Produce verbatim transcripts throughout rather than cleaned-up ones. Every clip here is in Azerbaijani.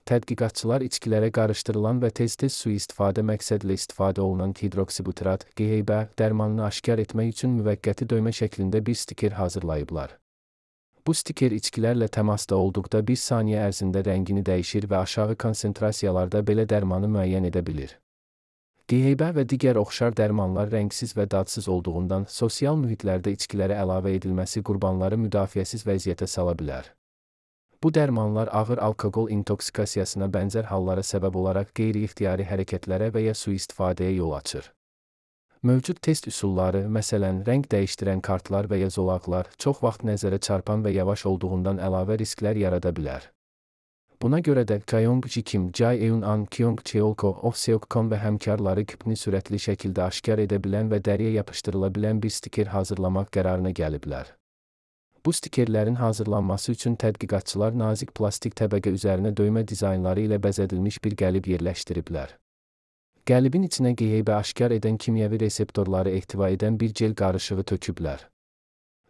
Tədqiqatçılar içkilərə qarışdırılan və tez-tez sui-istifadə məqsədlə istifadə olunan hidroksibutrat, G H B dərmanını aşkar etmək üçün müvəqqəti döymə şəklində bir stiker hazırlayıblar. Bu stiker içkilərlə təmasda olduqda bir saniyə ərzində rəngini dəyişir və aşağı konsentrasiyalarda belə dərmanı müəyyən edə bilir. G H B və digər oxşar dərmanlar rəngsiz və dadsız olduğundan sosial mühitlərdə içkilərə əlavə edilməsi qurbanları müdafiəsiz vəziyyətə sala bilər. Bu dərmanlar ağır alkoqol intoksikasiyasına bənzər hallara səbəb olaraq qeyri-ixtiyari hərəkətlərə və ya sui-istifadəyə yol açır. Mövcud test üsulları, məsələn, rəng dəyişdirən kartlar və ya zolaqlar, çox vaxt nəzərə çarpan və yavaş olduğundan əlavə risklər yarada bilər. Buna görə də Kyung-ji Kim, Jae-eun-an, Kyung-cheol-ko, Oh-seok-kon və həmkarları küpni sürətli şəkildə aşkar edə bilən və dəriyə yapışdırıla bilən bir stiker hazırlamaq qərarına gəliblər. Bu stikerlərin hazırlanması üçün tədqiqatçılar nazik plastik təbəqə üzərinə döymə dizaynları ilə bəzədilmiş bir qəlib yerləşdiriblər. Qəlibin içinə G H B aşkar edən kimyəvi reseptorları ehtiva edən bir gel qarışığı töküblər.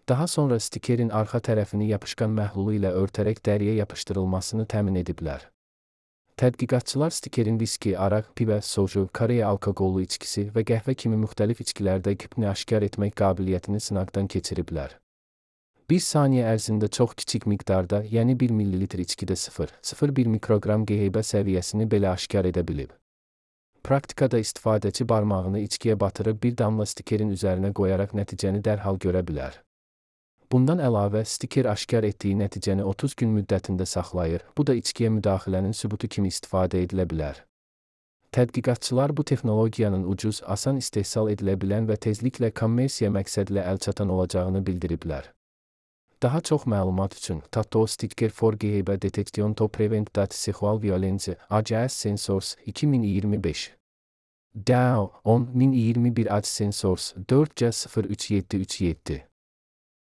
Daha sonra stikerin arxa tərəfini yapışqan məhlulu ilə örtərək dəriyə yapışdırılmasını təmin ediblər. Tədqiqatçılar stikerin viski, araq, pivə, soju, Koreya alkoqollu içkisi və qəhvə kimi müxtəlif içkilərdə küpni aşkar etmək qabiliyyətini sınaqdan keçiriblər. Bir saniyə ərzində çox kiçik miqdarda, yəni bir millilitr içkidə sıfır nöqtə sıfır bir mikroqram G H B səviyyəsini belə aşkar edə bilib. Praktikada istifadəçi barmağını içkiyə batırıb bir damla stikerin üzərinə qoyaraq nəticəni dərhal görə bilər. Bundan əlavə, stiker aşkar etdiyi nəticəni otuz gün müddətində saxlayır, bu da içkiyə müdaxilənin sübutu kimi istifadə edilə bilər. Tədqiqatçılar bu texnologiyanın ucuz, asan istehsal edilə bilən və tezliklə kommersiya məqsədlə əlçatan olacağını bildiriblər. Daha çox məlumat üçün Tattoo Sticker for G H B Detection to Prevent that Sexual Violence, A C S Sensors iki min iyirmi beş. D A O on min iyirmi bir A C S Sensors dört C sıfır üç yeddi üç yeddi.